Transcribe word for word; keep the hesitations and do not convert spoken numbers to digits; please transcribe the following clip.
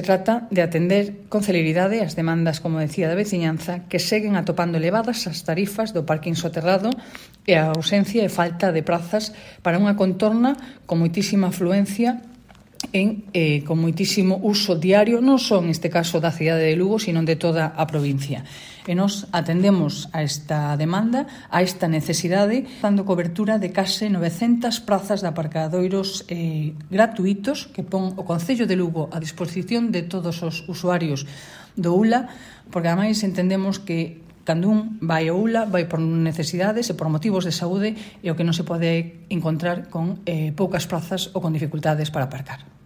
Se trata de atender con celeridade as demandas, como decía, da veciñanza, que seguen atopando elevadas as tarifas do parking soterrado e a ausencia e falta de prazas para unha contorna con moitísima afluencia en, eh, con moitísimo uso diario, non só en este caso da cidade de Lugo, sino de toda a provincia. E nos atendemos a esta demanda, a esta necesidade, dando cobertura de case novecentas prazas de aparcadoiros eh, gratuitos que pon o Concello de Lugo a disposición de todos os usuarios do U L A, porque ademais entendemos que cando un vai ao U L A vai por necesidades e por motivos de saúde e o que non se pode encontrar con eh, poucas prazas ou con dificultades para aparcar.